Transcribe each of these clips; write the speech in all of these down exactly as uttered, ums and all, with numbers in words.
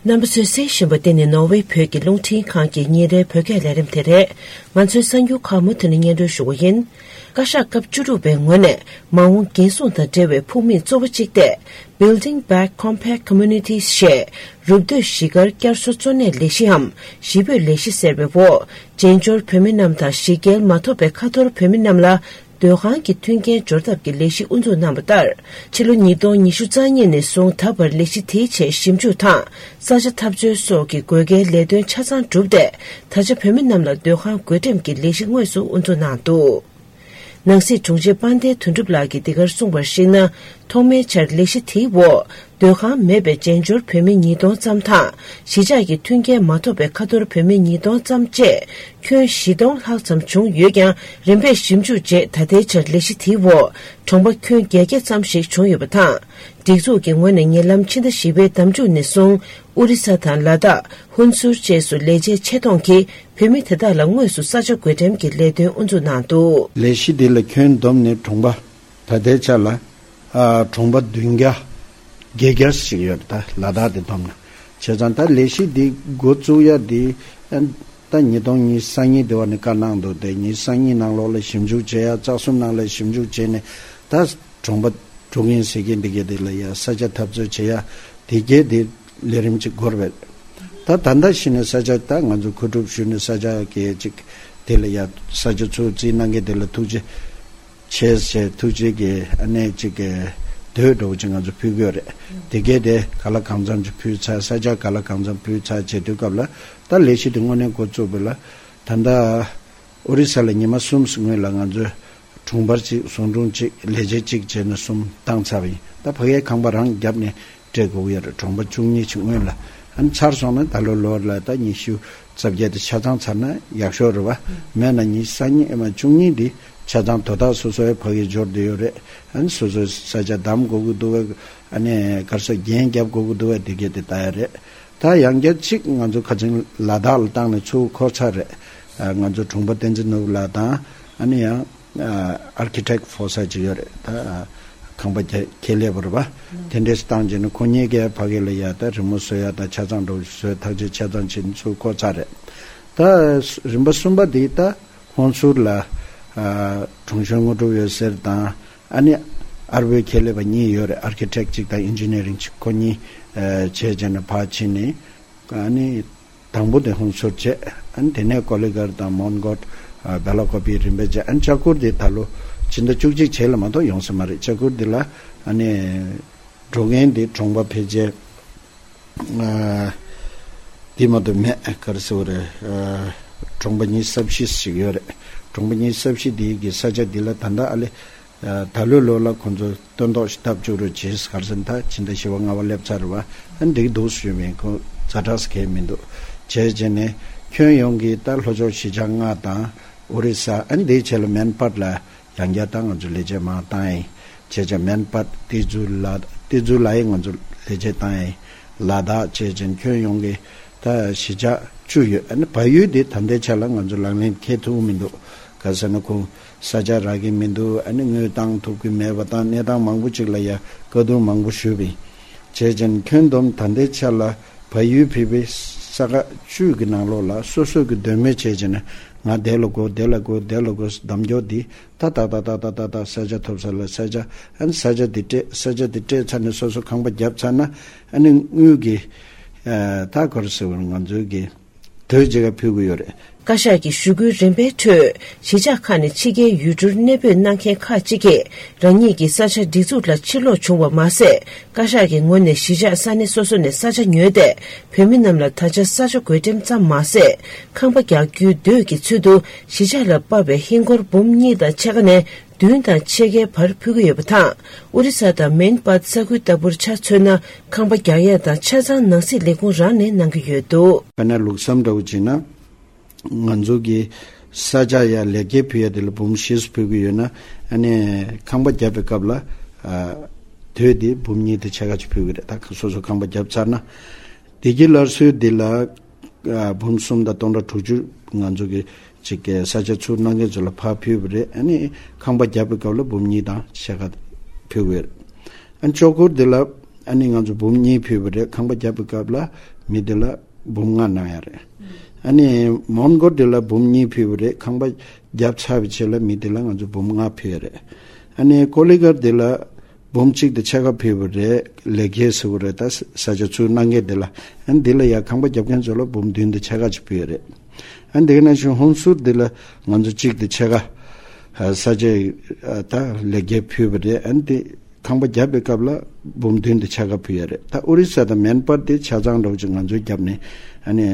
རྣམ་པ་ཚོས་གསན་བཞིན་པ་འདི་ནི་ནོར་ཝེ་བོད་ཀྱི་རླུང་འཕྲིན་ཁང་གི་ཉིན་རེའི་བོད་སྐད་ལས་རིམ་དེ་རེད། ང་ཚོའི་གསར་འགྱུར་ཁག་མུ་མཐུད་ནས་སྙན་སྒྲོན་ཞུ་བ་ཡིན། བཀའ་ཤག་སྐབས་བཅུ་དྲུག་པའི་ངོས་ནས་མ་འོངས་འགན་སྲུང་དང་འབྲེལ་བའི་ཕུགས་དམིགས་གཙོ་བོ་གཅིག་སྟེ། Building Back Compact Communities ཞེས་རུབ་སྟོད་གཞིས་སྒར་བསྐྱར་གསོ་གཙོ་གནད་ལས་གཞིའམ་གཞིས་སྤོས་ལས་གཞི་ཟེར་བའི་འོག་བཙན་བྱོལ་བོད་མི་རྣམས་དང་གཞིས་བརྒྱུད་མ་ཐོབ་པའི་ཁ་ཐོར་བོད་མི་རྣམས་ལ། སྡོད་ཁང་གི་མཐུན་རྐྱེན་སྦྱོར་ཐབས་ཀྱི་ལས་གཞི་དབུ་འཛུགས་གནང་བ་ལྟར། ཕྱི་ལོ་ཉིས་སྟོང་ཉི་ཤུ་རྩ་གཉིས་ནས་བཟུང་ད་བར་ལས་གཞི་དེའི་ཆེད་ཞིབ་འཇུག་དང་ས་ཆ་འཐབ་རྩོད་སོགས་ཀྱི་དགོས་གལ་ལས་དོན་ཆ་ཚང་གྲུབ་སྟེ། ད་ཆ་བོད་མི་རྣམས་ལ་སྡོད་ཁང་བགོ་འགྲེམས་ཀྱི་ལས་གཞི་དངོས་སུ་དབུ་འཛུགས་གནང་འདུག། ནང་སྲིད་དྲུང་ཆེ་དཔལ་ལྡན་དོན་གྲུབ་ལགས་ཀྱིས་འདི་གར་གསུངས་པར་གཞིགས་ན། ཐོག་མའི་ཆར་ལས་གཞི་དེའི་འོག་སྡོད་ཁང་མེད་པའི་བཙན་བྱོལ་བོད་མི་ཉིས་སྟོང་ཙམ་དང་། གཞིས་ཆགས་ཀྱི་མཐུན་རྐྱེན་མ་ཐོབ་པའི་ཁ་ཐོར་བོད་མི་ཉིས་སྟོང་ཙམ་བཅས་ཁྱོན་བཞི་སྟོང་ལྷག་ཙམ་བྱུང་ཡོད་ཀྱང་། རིམ་པས་ཞིབ་འཇུག་རྗེས་ད་ལྟའི་ཆར་ལས་གཞི་དེའི་འོག་གྲོང་པ་ཁྱོན་བརྒྱད་བརྒྱ་ཙམ་ཞིག་བྱུང་ཡོད་པ་དང་། སྒྲིག་འཛུགས་ཀྱི་ངོས་ནས་ཉེ་ལམ་ཕྱི་ཟླ་བཞི་པའི་ཟླ་མཇུག་ནས་བཟུང་ཨོ་རི་ས་དང་ལ་དྭགས། ཧུན་སུར་བཅས་སུ་ལས་བྱེད་ཆེ་མཐོང་གིས་བོད་མི་དེ་དག་ལ་དངོས་སུ་ས་ཆ་བགོ་འགྲེམས་ཀྱི་ལས་དོན་དབུ་འཛུགས་གནང་འདུག། ལས་གཞི་འདི་ལ་ཁྱོན་བསྡོམས་ནས་གྲོང་པ། ད་ལྟའི་ཆ་ལ་ཨ་གྲོང་པ་བདུན་བརྒྱ་བརྒྱད་བརྒྱ་ཞིག་ཡོད་རེད། ད་ལ་དྭགས་དེ་བསྡོམས་ན། བྱས་ཙང་ད་ལས་གཞི་འདི་འགོ་བཙུགས་ཡ་འདི་ཨ་ད་ཉིས་སྟོང་ཉི་ཤུ་རྩ་གཉིས་དེ་བ་ནས་བཀའ་གནང་འདུག་སྟེ། ཉི་ཤུ་རྩ་གཉིས་ནང་ལོགས་ལ་ཞིབ་འཇུག་བྱེད་ཡ། རྩ་གསུམ་ནང་ལ་ཞིབ་འཇུག་བྱས་ནས་ད་གྲོང་པ་འགྲོ་གིན་ཟེར་གིན་འདི་གས་དེ་ལ་ཡ་ས་ཆ་འཐབ་རྩོད་བྱེད་ཡ་དེ་གས་དེ་ལས་རིམ་ཅིག་འགོར་བས། ད་ད་ལྟ་གཞི་ནས་ས་ཆ་ད་ང་ཚོ་མཁོ་སྒྲུབ་ཞུས་ནས་ས་ཆ་གས་ཅིག་དེ་ལ་ཡ་ས་ཆ་ཚུར་རྩིས་གནང་མཁན་དེ་ལ་ཐུགས་རྗེ་ཆེ་ཞེས་ཐུགས་རྗེ་གིས་ཨ་ནེ་ཅིག་གི་འདོད་འགྲོ་ཅིག་ང་ཚོ་ཕུལ་གྱི་ཡོད་རེད། དེ་གས་དེ་ག་ལ་གང་འཚམ་ཅིག་ཕུལ་ཚར། ས་ཆ་ག་ལ་གང་འཚམ་ཕུལ་ཚར་བྱེད་དུས་སྐབས་ལ་ད་ལས་གཞི་དེ་དངོས་གནས་འགོ་བཙུགས་པ་ལ་ད་ལྟ་ཨོ་རི་ས་ལ་ཉི་མ་གསུམ་སྔོན་ལ་ང་ཚོས་གྲོང་པར་གཅིག་ཟུང་དྲུང་གཅིག་ལས་བྱེད་གཅིག་བྱས་ནས་གསུམ་བཏང་ཚར་བ་ཡིན། ད་ཕ་གིའི་ཁང་པ་རང་བརྒྱབ་ནས་སྤྲད་དགོས་ཀྱི་ཡོད་རེད། གྲོང་པ་བཅུ་གཉིས་ཅིག་སྔོན་ལ། ཨ་ནི་ཚར་སོང་ན་ད་ལོ་ལོར་ལ་ད་ཉི་ཤུ་རྩ་བརྒྱད་དེ་ཆ་ཚང་ཚར་ན་ཡག་ཤོས་རེད་བ། མེད་ན་ཉི་ཤུ་རྩ་གཉིས་ཨེ་མ་བཅུ་གཉིས་འདི་ཆ་ཚང་དོ་བདག་སོ་སོའི་ཕ་གིར་འབྱོར་བསྡད་ཡོད་རེད། ཨ་ནི་སོ་སོའི་ས་ཆ་བདམས་དགོས་ཀྱི་འདུག་བས། ཨ་ནི་ག་རེ་ཟེར་འགན་རྒྱབ་དགོས་ཀྱི་འདུག་བས། དེ་གས་དེ་ལྟ་ཡ་རེད། ད་ཡང་བསྐྱར་གཅིག་ང་ཚོ་ཁ་ཆེམས་ལ་དྭགས་ལ་བཏང་ནས་ཚུར་འཁོར་ཚར་རེད། ཨ་ང་ཚོ་གྲོང་པ་བསྟན་འཛིན་ནོར་བུ་ལགས་དང་ཨ་ནི་ཡང་ཨ་ཨར་ཁི་ཊེག་ཕོ་ས་ཅིག་ཡོད་རེད། ད་ཨ་ཁང་པ་ཁྱེད་ཁྱེད་ལས་པར་བ་དེ་འདྲས་བཏང་རྗེས་ནས་ཁོ་གཉིས་ཀས་ཕ་གི་ལ་ཡ་ད་རི་མོ་བཟོ་ཡ་དང་ཆ་ཚང་འགྲོ་བཟོས་ཐག་གཅོད་ཆ་ཚང་བྱེད་ནས་ཚུར་འཁོར་ཚར་རེད། ད་རིམ་པ་གསུམ་པ་དེ་ད་ཧོན་སུར་ལ་ཨ་དྲུང་གཞོན་དངོས་གྲུབ་འོད་ཟེར་དང་། ཨ་ནི་ཨར་བྷོའི་ཁྱད་ལས་པ་གཉིས་ཡོད་རེད། ཨར་ཁི་ཊེག་གཅིག་དང་ཨིན་ཇི་ནི་ཡ་རིང་གཅིག་ཁོ་གཉིས་ཨ་བྱས་བྱས་ནས་ཕར་ཕྱིན་ནས། ཨ་ནི་དང་པོ་དེ་ཧོན་སུར་བྱས། ཨ་ནི་དེ་ནས་ཀོ་ལི་གར་དང་མོན་གྷོ་ཨ་བེ་ལ་ཀོ་པི་རིམ་པས་བྱས། ཨ་ནི་ལྕགས་སྐུར་དེ་ད་ལོ་ཕྱི་ཟླ་བཅུ་གཅིག་རྗེས་ལ་མ་གཏོགས་ཡོང་ས་མ་རེད། ལྕགས་སྐུར་དེ་ལ་ཨ་ནི་འགྲོ་མཁན་དེ་གྲོང་པ་ཕལ་ཆེར། ཨ་དེ་མ་གཏོགས་མེད། ག་རེ་ཟེར་བ་རེད། ཨ་གྲོང་པ་ཉི་ཤུ་རྩ་བཞི་ཞིག་ཡོད་རེད། གྲོང་པ་ཉི་ཤུ་རྩ་བཞི་དེ་གི་ས་ཆ་འདི་ལ་ད་ལྟ་ཨ་ལེ་ཨ་ད་ལོའི་ལོ་ལ་ཁོང་ཚོ་སྟོན་ཐོག་ཞིག་བཏབ་བཅུག་རོགས་བྱེད། ག་རེ་ཟེར་ན་ད་ཕྱི་ཟླ་བཞི་པ་ལྔ་པ་སླེབས་ཚར་རེད་བ། ཨ་འགྲིག་འདུག་ཞུས་པ་ཡིན། ཁོ་ཛ་དྲག་གང་ཡང་མི་འདུག། བྱས་བྱས་ནས་ཁྱོན་ཡོངས་ཀྱི་ད་ལྷོ་ཕྱོགས་གཞིས་ཆགས་ལྔ་དང་ཨོ་རི་ས། ཨ་འདིའི་ཆེད་ལ་མན་པད་ལ་ཡང་བསྐྱར་ད་ང་ཚོ་ལས་བྱེད་མང་བཏང་ཡིན། བྱས་ཙང་མན་པད་ཏི་ཛུ་ལ་ཏི་ཛུ་ལ་ཡང་ང་ཚོ་ལས་བྱེད་བཏང་ཡིན། ལ་དྭགས་བྱས་ཙང་ཁྱོན་ཡོངས་ཀྱི་ད་གཞིས་ཆགས་བཅུ་ཡོད། ཨ་ནི་བལ་ཡུལ་འདི་ད་ལྟའི་ཆ་ལ་ང་ཚོ་ལག་ལེན་འཁེལ་ཐུབ་མི་འདུག། ག་ཟེར་ན་ཁོང་ས་ཆ་རག་གི་མི་འདུག། ཨ་ནི་དངུལ་བཏང་ཐུབ་ཀྱི་མེད་པ་དང་གནས་སྟངས་མང་པོ་ཅིག་ལ་ཡ་བཀའ་བསྡུར་མང་པོ་ཞུས་པ་ཡིན། བྱས་ཙང་ཁྱོན་བསྡོམས་ད་ལྟའི་ཆ་ལ་བལ་ཡུལ་ཕལ་པའི་ས་ཁག་བཅུ་གི་ནང་ལོགས་ལ་སོ་སོ་གི་འདོད་མོས་བྱས་ཙང་ང་དེ་ལ་དགོས་དེ་ལ་དགོས་དེ་ལ་དགོས་གདམ་སྐྱོར་འདི། ད་ད་ད་ས་ཆ་ཐོབ་ས་ལ་ས་ཆ། ཨ་ནི་ས་ཆ་འདི་སྤྲད། ས་ཆ་འདི་སྤྲད་ཚར་ནས་སོ་སོ་ཁང་པ་བརྒྱབ་ཚར་ན། ཨ་ནི་དངུལ་གྱི་ཨ་ད་ག་རེ་ཟེར་བ་ང་ཚོའི་གི་དོས་བརྗེ་ག་ཕུལ་གི་ཡོད་རེད། བཀའ་ཤག་གི་ཞུ་སྐུལ་རིམ་པའི་ཁྲོད་གཞིས་ཆགས་ཁག་ནས་ཕྱི་རྒྱལ་ཡུལ་གྲུར་གནས་སྤོས་གནང་མཁན་ཁག་ཅིག་གིས་རང་ཉིད་ཀྱི་ས་ཆ་སྒྲིག་འཛུགས་ལ་ཕྱིར་སློག་བྱུང་བ་མ་ཟད། བཀའ་ཤག་གི་ངོས་ནས་གཞིས་ཆགས་ས་གནས་སོ་སོ་ནས་ས་ཆ་ཉོས་ཏེ། བོད་མི་རྣམས་ལ་ད་ཆ་ས་ཆ་བགོ་འགྲེམས་ཙམ་མ་ཟད། ཁང་པ་རྒྱག་རྒྱུའི་འདོད་ཀྱི་ཚུལ་དུ་གཞིས་ཆགས་ལ་དཔག་པའི་ཧིན་སྒོར་འབུམ་གཉིས་དང་ཕྱེད་ཀ་ནས་བདུན་དང་ཕྱེད་ཀའི་བར་ཕུལ་གྱི་ཡོད་པ་དང་། ཨོ་རི་ས་དང་མན་པཱད་ས་ཁུལ་ལྟ་བུར་ཆ་མཚོན་ན། ཁང་པ་རྒྱག་ཡས་དང་ཆ་ཚང་ནང་སྲིད་ལས་ཁུངས་རང་ནས་གནང་གི་ཡོད་འདུག། དཔེར་ན་ལུགས་བསམ་འདྲ་བོ་བྱས་ན། ང་ཚོ་གི་ས་ཆ་ཡ་ལེགས་སྐྱེས་ཕུལ་ཡ་དེ་ལ་འབུམ་བཞི་ཙམ་ཕུལ་གྱི་ཡོད་ན། ཨ་ནི་ཁང་པ་བརྒྱབ་པའི་སྐབས་ལ་ཨ་དོས་དེ་འབུམ་གཉིས་དང་ཕྱེད་ཀ་ཅིག་ཕུལ་གྱི་རེད། ད་སོ་སོ་ཁང་པ་བརྒྱབ་ཚར་ན། བདེ་སྐྱིད་སླར་གསོའི་འདི་ལ་ཨ་འབུམ་གསུམ་དང་སྟོང་ཕྲག་དྲུག་ཅུ་ང་ཚོ་གི་ཅིག་གི་ས་ཆ་ཚུར་གནང་མཁན་ཚོ་ལ་ཕར་ཕུལ་བ་རེད། ཨ་ནི་ཁང་པ་བརྒྱབ་པའི་སྐབས་ལ་འབུམ་གཉིས་དང་ཕྱེད་ཀ་ཕུལ་བ་རེད། ཨ་ནི་ལྕོག་གུར་འདི་ལ་ཨ་ནི་ང་ཚོ་འབུམ་གཉིས་ཕུལ་བ་རེད། ཁང་པ་བརྒྱབ་པའི་སྐབས་ལ་ མི་དེ་ལ་འབུམ་ལྔ་གནང་ཡ་རེད། ཨ་ནི་མོན་གྷོ་དེ་ལ་འབུམ་གཉིས་ཕུལ་བ་རེད། ཁང་པ་བརྒྱབ་ཚར་བའི་རྗེས་ལ་མི་དེ་ལ་ང་ཚོ་འབུམ་ལྔ་ཕུལ་ཡ་རེད། ཨ་ནི་ཀོ་ལི་གྷལ་དེ་ལ་འབུམ་གཅིག་དང་ཕྱེད་ཀ་ཕུལ་བ་རེད། ལེགས་སྐྱེས་ཟེར་བ་རེད། ད་ས་ཆ་ཚུར་གནང་མཁན་དེ་ལ། ཨ་ནི་དེ་ལ་ཡ་ཁང་པ་བརྒྱབ་མཁན་ཚོ་ལ་འབུམ་བདུན་དང་ཕྱེད་ཀ་ཅིག་ཕུལ་ཡ་རེད། ཨ་ནི་དེ་ག་ནང་བཞིན་ཧུན་སུར་དེ་ལ་ང་ཚོ་གཅིག་དང་ཕྱེད་ཀ་ས་ཆ་ད་ལེགས་སྐྱེས་ཕུལ་བ་རེད། ཨ་ནི་དེ་ཁང་པ་བརྒྱབ་པའི་སྐབས་ལ་འབུམ་བདུན་དང་ཕྱེད་ཀ་ཕུལ་ཡ་རེད། ད་ཨོ་རི་ས་དང་མན་པར་དེ་ཆ་ཚང་འདྲ་བོ་ཅིག་ང་ཚོའི་རྒྱབ་ནས་ཨ་ནི་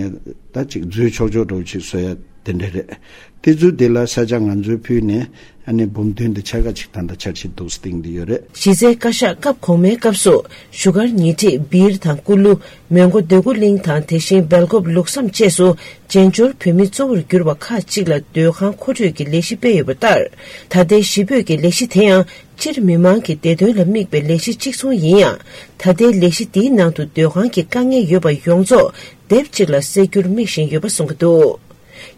ད་ཅིག་འཛུལ་ཆོག་ཆོག་འདྲ་བོ་ཅིག་བཟོ་ཡ་དེ་འདྲ་རེད། དེ་ཚོ་དེ་ལ་ས་ཆ་ང་ཚོའི་ཕུལ་ནས་ཨ་ནི་འབུམ་བདུན་དང་ཕྱེད་ཀ་ཅིག་ད་ལྟ་འཆར་གཞི་འདུག་སྟེང་དུ་ཡོད་རེད། གཞི་རྩའི་བཀའ་ཤག་སྐབས་གོང་མའི་སྐབས་སུ་བཞུགས་སྒར་ཉེ་འཁྲིས་སྦིར་དང་ཀུ་ལུ། མོན་གྷོ་འདོད་རྒུ་གླིང་དང་དེ་བཞིན་སྦེལ་ཀོབ་ལུགས་བསམ་བཅས་སུ་རྗེས་འབྱོར་བོད་མི་གཙོ་བོར་གྱུར་པ་ཁག་ཅིག་ལ་སྡོད་ཁང་མཁོ་སྤྲོད་ཀྱི་ལས་གཞི་སྤེལ་ཡོད་པ་ལྟར། ད་ལྟའི་གཞིས་སྤོས་ཀྱི་ལས་གཞི་དེ་ཡང་སྤྱིར་མི་མང་གི་བདེ་དོན་ལ་དམིགས་པའི་ལས་གཞི་གཅིག་མཚུངས་ཡིན་ཡང་། ད་ལྟའི་ལས་གཞི་འདིའི་ནང་དུ་སྡོད་ཁང་གི་དཀའ་ངལ་ཡོད་པ་ཡོངས་རྫོགས་སྡེབ་གཅིག་ལ་སེལ་རྒྱུར་དམིགས་བཞིན་ཡོད་པ་གསུངས་ཀྱི་འདུག་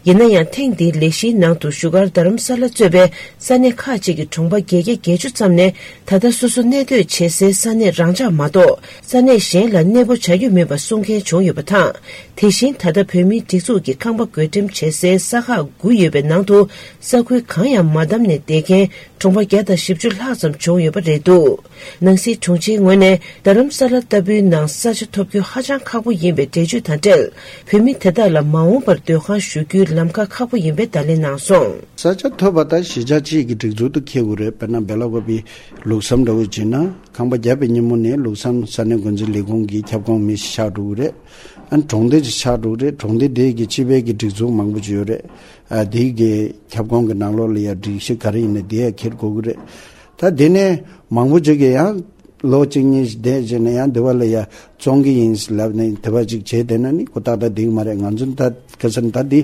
ཡིན་ན་ཡང་ཐེངས་འདིའི་ལས་གཞིའི་ནང་དུ་བཞུགས་སྒར་རྡ་རམ་ས་ལ་གཙོས་པའི་ས་གནས་ཁག་ཅིག་གི་གྲོང་པ་བརྒྱད་བརྒྱ་བརྒྱད་ཅུ་ཙམ་ནས་ད་ལྟ་སོ་སོ་གནས་སྡོད་བྱེད་སའི་ས་གནས་རང་འཇགས་མ་གཏོགས་ས་གནས་གཞན་ལ་གནས་སྤོ་བྱ་རྒྱུ་མེད་པ་གསུང་མཁན་བྱུང་ཡོད་པ་དང་། དེ་བཞིན་ད་ལྟ་བོད་མིའི་སྒྲིག་འཛུགས་ཀྱི་ཁང་པ་བགོ་འགྲེམས་བྱེད་སའི་ས་ཁག་དགུ་ཡོད་པའི་ནང་དུ་ས་ཁུལ་གང་ཡང་མ་བདམས་ནས་བསྡད་མཁན་གྲོང་པ་བརྒྱ་དང་བཞི་བཅུ་ལྷག་ཙམ་བྱུང་ཡོད་པ་རེད་འདུག་ནང་སྲིད་དྲུང་ཆེའི་ངོས་ནས་རྡ་རམ་ས་ལ་ལྟ་བུའི་ནང་ས་ཆ་ཐོབ་རྒྱུ་ཧ་ཅང་ཁག་པོ་ཡིན་པའི་འགྲེལ་བརྗོད་དང་འབྲེལ། བོད་མི་དེ་དག་ལ་མ་འོངས་པར་སྡོད་ཁང་ཞུ་རྒྱུའི་ལམ་ཁ་ཁག་པོ་ཡིན་པའི་བརྡ་ལན་གནང་སོང་། ས་ཆ་ཐོབ་པ་དང་གཞིས་ཆགས་གཅིག་གི་སྒྲིག་འཛུགས་དུ་འཁེལ་དགོས་རེད། དཔེར་ན་སྦེ་ལ་ཀོ་པི་ལུགས་བསམ་འདྲ་བོ་བྱས་ན་ཁང་པ་བརྒྱབ་པའི་ཉིན་མོ་ནས་ལུགས་བསམ་ས་གནས་འགོ་འཛིན་ལས་ཁུངས་ཀྱི་ཁྱབ་ཁོངས་མི་ཞིག་ཆགས་འགྲོ་གི་རེད། ཨ་ནི་གྲོང་སྡེ་ཅིག་ཆགས་འགྲོ་གི་རེད། གྲོང་སྡེ་དེ་གི་སྤྱི་པའི་གི་སྒྲིག་འཛུགས་མང་པོ་ཅིག་ཡོད་རེད། ཨ་དེ་གི་ཁྱབ་ཁོངས་ཀྱི་ནང་ལོགས་ལ་ཡ་སྒྲིག་གཞི་ག་རེ་ཡིན་ན་དེ་ཡ་འཁྱེར་དགོས་ཀྱི་རེད། ད་དེ་ནས་མང་པོ་ཅིག་གིས་ཡང་ལོ་གཅིག་གཉིས་ཤིག་བསྡད་བྱས་ནས་ཡང་དེ་བ་ལ་ཡ་བཙོང་གི་ཡིན་ལབ་ནས་དེ་བ་ཅིག་བྱས་བསྡད་ན་ནི་ཁོ་ཏག་ཏག་འགྲིག་མ་རེད། ང་ཚོ་ད་ཁ་སང་ད་འདི་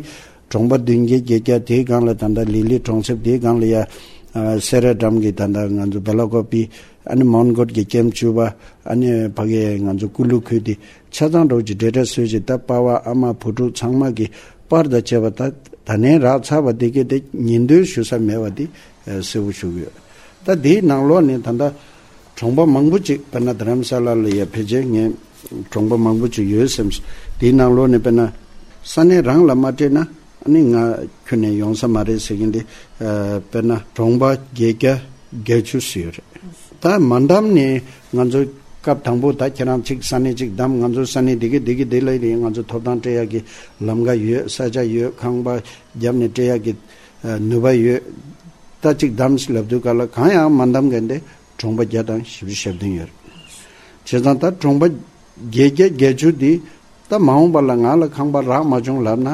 གྲོང་པ་བདུན་བརྒྱ་བརྒྱད་བརྒྱ་དེའི་སྒང་ལ་ད་ལྟ་ལི་ལི་གྲོང་གསེབ་དེའི་སྒང་ལ་ཡ་ཨ་སེ་ར་འགྲམ་གྱི་ད་ལྟ་ང་ཚོ་སྦེ་ལ་ཀོ་པི་ཨ་ནི་མོན་གྷོ་གི་ཀེམ་བཅུ་པ་ཨ་ནི་ཕ་གི་ང་ཚོ་ཀུ་ལུ་ཁུལ་དེ་ཆ་ཚང་འགྲོ་གི་འབྲེལ་སྒྲ་སོས་ཀྱི་ད་པ་བ་ཨ་མ་བུ་ཕྲུག་ཚང་མ་གི་པར་དང་བཅས་པ་ད་ད་ནས་རག་ཚར་བ་དེ་གས་དེ་ཉིན་ཐོའི་ཞུ་ས་མེད་པ་དེ་གསལ་པོ་ཞུ་གི་ཡོད། ད་དེའི་ནང་ལོགས་ནས་ད་ལྟ་གྲོང་པ་མང་པོ་ཅིག་དཔེར་ན་རྡ་རམ་ས་ལ་ལ་ཡ་ཕལ་ཆེར་ངས་གྲོང་པ་མང་པོ་ཅིག་ཡོད་སེམས། དེའི་ནང་ལོགས་ནས་དཔེར་ན་ས་གནས་རང་ལ་མ་སྤྲད་ན་ཨ་ནི་ང་ཁྱོན་ནས་ཡོང་ས་མ་རེད་ཟེར་མཁན་དེ་དཔེར་ན་གྲོང་པ་བརྒྱད་བརྒྱ་བརྒྱད་ཅུ་ཙམ་ཡོད་རེད། ད་མ་བདམས་ནས་ང་ཚོ་སྐབས་དང་པོ་ད་ཁྱེད་རང་གཅིག་ས་གནས་གཅིག་བདམས། ང་ཚོ་ས་གནས་དེ་གི་དེ་གི་དེ་ལ་ཡིན། ང་ཚོ་ཐོབ་ཐང་སྤྲད་ཡག་གི་ལམ་ཁ་ཡོད། ས་ཆ་ཡོད། ཁང་པ་བརྒྱབ་ནས་སྤྲད་ཡག་གི་ནུས་པ་ཡོད། ད་གཅིག་བདམས་ལབ་དུས་ག་ལ་གང་ཡང་མ་བདམས་མཁན་དེ་གྲོང་པ་བརྒྱ་དང་བཞི་བཅུ་ཞེ་བདུན་ཡོད་རེད། བྱས་ཙང་ད་གྲོང་པ་བརྒྱད་བརྒྱ་བརྒྱད་ཅུ་འདི་ད་མ་འོངས་པ་ལ་ང་ལ་ཁང་པ་རག་མ་བྱུང་ལབ་ན།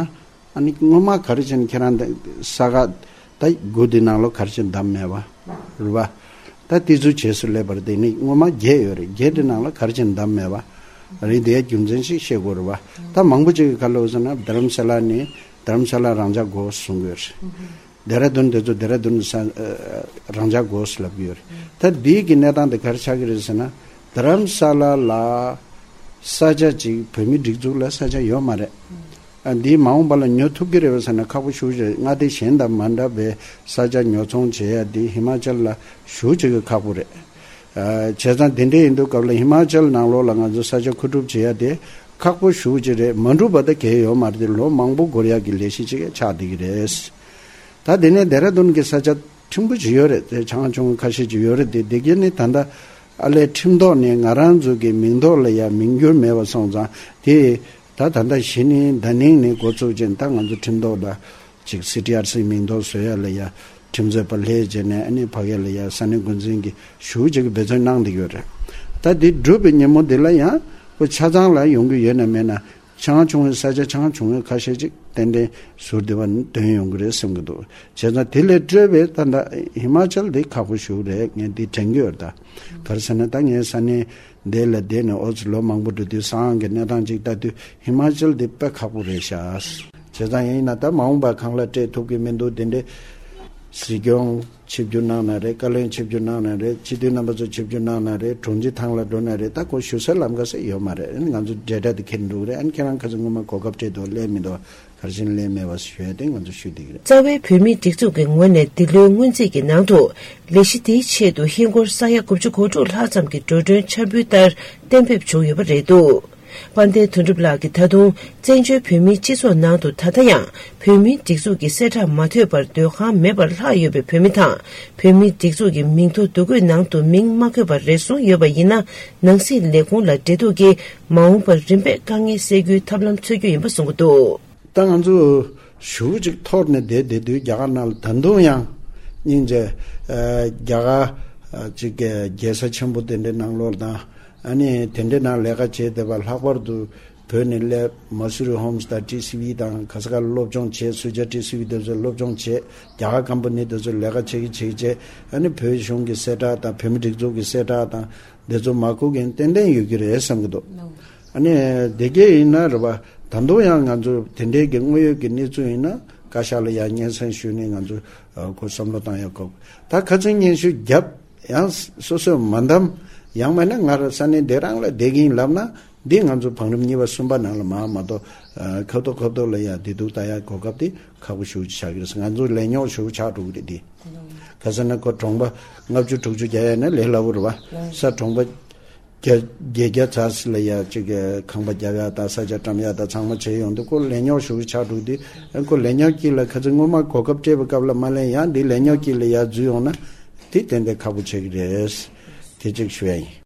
ཨ་ནི་སྔོན་མ་ག་རེ་བྱས་ནས་ཁྱེད་རང་ས་ག་ད་དགུ་དེ་ནང་ལོགས་ག་རེ་བྱས་ནས་བདམས་མེད་པ་རེད་པ། ད་དེ་ཚོ་བྱས་སུ་སླེབས་པ་རེད། དེ་ནི་སྔོན་མ་བརྒྱད་ཡོད་རེད། བརྒྱད་དེ་ནང་ལོགས་ག་རེ་བྱས་ནས་བདམས་མེད་པ་རེད། དེའི་རྒྱུ་མཚན་ཞིག་ཤེས་དགོས་རེད་པ། ད་མང་པོ་ཅིག་གིས་ག་ལབ་ཟེར་ན་རྡ་རམ་ས་ལ་ནི་རྡ་རམ་ས་ལ་རང་འཇགས་དགོས་གསུང་གི་ཡོད་རེད། ལྡེ་ར་ལྡུན་དེ་ཚོ་ལྡེ་ར་ལྡུན་ས་རང་འཇགས་དགོས་ལབ་ཀྱི་ཡོད་རེད། ད་འདིའི་གི་གནས་སྟངས་དེ་ག་རེ་ཆགས་ཀྱི་རེད་ཟེར་ན། རྡ་རམ་ས་ལ་ལ་ས་ཆ་ཅིག་བོད་མི་སྒྲིག་འཛུགས་ལ་ས་ཆ་ཡོད་མ་རེད། ཨ་འདི་མ་འོངས་པ་ལ་ཉོ་ཐུབ་ཀྱི་རེད་པས་ཟེར་ན་ཁག་པོ་ཞེ་པོ་ཅིག་རེད། མངའ་སྡེ་གཞན་དང་མ་འདྲ་བའི་ས་ཆ་ཉོ་ཚོང་བྱེད་ཡ་འདི་ཧི་མ་ཅལ་ལ་ཞེ་པོ་ཅིག་གི་ཁག་པོ་རེད། ཨ་བྱས་ཙང་དེ་འདྲ་ཡིན་དུས་སྐབས་ལ་ཧི་མ་ཅལ་ནང་ལོགས་ལ་ང་ཚོ་ས་ཆ་མཁོ་སྒྲུབ་བྱེད་ཡ་དེ་ཁག་པོ་ཞེ་པོ་ཅིག་རེད། མ་འགྲུབ་པ་ད་གང་ཡང་ཡོད་མ་རེད། དེ་ལོ་མང་པོ་འགོར་ཡ་གི་ལས་གཞི་ཅིག་ཆགས་བསྡད་ཀྱི་རེད། ད་དེ་ནས་ལྡེ་ར་ལྡུན་གྱི་ས་ཆ་ཕྲན་བུ་ཅིག་ཡོད་རེད། དེ་ཆུང་ཆུང་ཁ་ཤས་ཅིག་ཡོད་རེད། དེ་དེ་ག་ནི་ད་ལྟ་ཨ་ལས་ཁྲིམས་ཐོག་ནས་ང་རང་ཚོ་གི་མིང་ཐོག་ལ་ཡ་མིང་བསྒྱུར་མེད་པ་སོང་ཙང་དེ་ད་ད་ལྟ་གཞི་ནས་ད་ནིང་ནས་འགོ་བཙུགས་བྱས་ད་ང་ཚོ་ཁྲིམས་ཐོག་ལ་ཅིག་སི་ཊི་ཨར་སི་མིང་ཐོག་བཟོ་ཡ་ལ་ཡ་ཁྲིམས་རྩོད་པ་ལྷན་རྒྱས་ནས་ཨ་ནི་ཕ་གི་ལ་ཡ་ས་གནས་འགོ་འཛིན་གྱི་ཞེ་པོ་ཅིག་གི་འབད་བརྩོན་གནང་བསྡད་ཡོད་རེད། ད་དེ་འགྲུབ་པའི་ཉིན་མོ་དེ་ལ་ཡང་ཁོ་ཆ་ཚང་ལ་ཡོང་གི་ཡོད་ན་མེད་ན། ཆུང་ཆུང་བའི་ས་ཆ་ཆུང་ཆུང་བའི་ཁ་ཤས་ཅིག་ཏན་ཏན་ཟུར་བདེ་བ་ནི་དོན་ཡོང་གི་རེད་བསམ་གྱི་འདུག་བྱས་ཙང་དེ་ལས་སྤྲོས་པའི་ད་ལྟ་ཧི་མ་ཅལ་འདི་ཁག་པོ་ཞེ་པོ་རེད། ངས་འདི་དྲན་གྱི་ཡོད་ད། ག་རེ་ཟེར་ན་ད་ངས་ས་གནས་འདི་ལ་བསྡད་ནས་ཨོ་ཙི་ལོ་མང་པོ་འགྲོ་དུས་ས་ཨང་གི་གནས་སྟངས་ཅིག་ལྟ་དུས་ཧི་མ་ཅལ་འདི་དཔེ་ཁག་པོ་རེད་ཤག་བྱས་ཙང་ཡིན་ན་ད་མ་འོངས་པ་གང་ལ་སྤྲད་ཐུབ་ཀྱི་མི་འདུག་དེ་འདྲའི་སྲིད་སྐྱོང་ཆིབས་བསྒྱུར་གནང་ན་རེད། བཀའ་བློན་ཆིབས་བསྒྱུར་གནང་ན་རེད། སྤྱི་འཐུས་རྣམ་པ་ཚོ་ཆིབས་བསྒྱུར་གནང་ན་རེད། དྲུང་ཆེ་ཐང་ལ་འགྲོ་ན་རེད། ད་ཁོ་ཞུ་སའི་ལམ་ཁ་ཟེར་ཡོད་མ་རེད། ཨ་ནི་ང་ཚོ་འབྲེལ་སྒྲ་དེ་འཁྱེར་འགྲོ་གི་རེད། ཨ་ནི་ཁྱེད་རང་ཁ་ཚོ་སྔོན་མ་གོ་སྐབས་སྤྲད་འདུག་སླེབས་མི་འདུག་ག་རེ་བྱས་ནས་སླེབས་མེད་པ་ཞུ་ཡ་དེ་ང་ཚོ་ཞུ་བསྡད་ཀྱི་རེད། རྩ་བའི་བོད་མིའི་སྒྲིག་འཛུགས་ཀྱི་ངོས་ནས་འདི་ལོའི་སྔོན་རྩིས་ཀྱི་ནང་དུ་ལས་གཞི་དེའི་ཆེད་དུ་ཧིན་སྒོར་ས་ཡ་དགུ་བཅུ་གོ་དྲུག་ལྷག་ཙམ་གྱི་འགྲོ་གྲོན་འཆར་འབུལ་ལྟར་གཏན་འབེབས་བྱུང་ཡོད་པ་རེད་འདུག་དཔལ་ལྡན་དོན་གྲུབ་ལགས་ཀྱིས་ད་དུང་བཙན་བྱོལ་བོད་མིའི་སྤྱི་ཚོགས་ནང་དུ་ད་ལྟ་ཡང་བོད་མིའི་སྒྲིག་འཛུགས་ཀྱི་གསལ་བསྒྲགས་མ་ཐོས་པར་སྡོད་ཁང་མེད་པར་ལྷག་ཡོད་པའི་བོད་མི་དང་། བོད་མིའི་སྒྲིག་འཛུགས་ཀྱི་མིང་ཐོ་བསྡུ་འགོད་ནང་དུ་མིང་མ་འཁོད་པར་རེ་ཟུང་ཡོད་པ་ཡིན་ན། ནང་སྲིད་ལས་ཁུངས་ལ་འབྲེལ་གཏུག་གིས་མ་འོངས་པར་རིམ་པས་དཀའ་ངལ་སེལ་རྒྱུའི་ཐབས་ལམ་འཚོལ་རྒྱུ་ཡིན་པ་གསུང་གི་འདུག། ད་ང་ཚོ་ཞུ་ཅིག་འཐོར་ནས་བསྡད་བསྡད་དུས། རྒྱ་གར་ནང་ལ་ད་དུང་ཡང་སྙིང་རྗེ། ཨ་རྒྱ་གར་ཨ་ཅིག་གི་རྒྱལ་ས་ཆེན་པོ་དེ་འདྲའི་ནང་ལོགས་དང་། ཨ་ནི་དེ་འདྲའི་ནང་ལས་ཀ་བྱེད་བསྡད་པ། ལྷག་པར་དུ་བོད་ནས་སླེབས། མ་སུ་རི་ཧོམ་སི་དང་ཊི་སི་ཝི་དང་ག་ས་ག་ལ་སློབ་སྦྱོང་བྱས། སུ་ཇཱ་ཊི་སི་ཝི་དེ་ཚོ་སློབ་སྦྱོང་བྱས། རྒྱ་གར་ཀམ་པ་ནི་དེ་ཚོ་ལས་ཀ་བྱེད་ཀྱི་བྱེད་ཀྱི་བྱས། ཨ་ནི་བོད་གཞུང་གི་གསལ་བསྒྲགས་དང་། བོད་མི་སྒྲིག་འཛུགས་ཀྱི་གསལ་བསྒྲགས་དང་། འདི་ཚོ་མ་གོ་མཁན་ཏན་ཏན་ཡོད་ཀྱི་རེད་བསམ་གྱི་འདུག། ཨ་ནི་དེ་གས་ཡིན་ན་རེད་པ། ད་དུང་ཡང་ང་ཚོ་དེ་འདྲའི་གི་དངོས་ཡོད་ཀྱི་གནས་ཚུལ་ཡིན་ན། བཀའ་ཤག་ལ་ཡང་སྙན་སེང་ཞུས་ནས་ང་ཚོ་ཨ་ཁོ་བསམ་བློ་བཏང་ཡག་གོ། ད་ཁ་སང་སྙན་ཞུ་བརྒྱབ། ཡང་སོ་སོས་མ་འདེམས། ཡང་མིན་ན་ང་རང་ས་གནས་འདི་རང་ལ་བསྡད་ཀྱི་ཡིན་ལབ་ན། འདི་ང་ཚོ་བང་རིམ་གཉིས་པ་གསུམ་པ་ནང་ལ་མར་མ་གཏོགས། ཨ་ཁ་ཐོག་ཁ་ཐོག་ལ་ཡ་བདེ་སྡུག་ལྟ་ཡག་གོ་སྐབས་དེ་ཁག་པོ་ཞེ་པོ་ཅིག་ཆགས་ཀྱི་རེད། ང་ཚོ་ལས་རྙོག་ཞེ་པོ་ཆགས་འགྲོ་གི་རེད་དེ། ག་ཟེར་ན་ཁོ་གྲོང་པ་ལྔ་བཅུ་དྲུག་ཅུ་རྒྱག་ཡ་ན་ལས་སླ་པོ་རེད་པ། ས་གྲོང་པ་བརྒྱ་བརྒྱད་བརྒྱ་ཙམ་ལ་ཡ་ཅིག་ཁང་པ་རྒྱག་ཡ་དང་ས་ཆ་བཀྲམ་ཡ་དང་ཚང་མ་བྱས་ཡོང་དུས། ཁོ་ལས་རྙོག་ཞེ་པོ་ཆགས་འགྲོ་གི་དུས། ཁོ་ལས་རྙོག་དཀྱིལ་ལ་ཁ་ཚིག་སྔོན་མ་གོ་སྐབས་སྤྲད་པའི་སྐབས་ལ་མ་ལེན། ཡང་འདི་ལས་རྙོག་དཀྱིལ་ལ་ཡར་འཛུལ་ཡོང་ན་དེ་ཏན་ཏན་ཁག་པོ་ཆགས་ཀྱི་རེད། དེ་གཅིག་ཞུ་ཡ་ཡིན།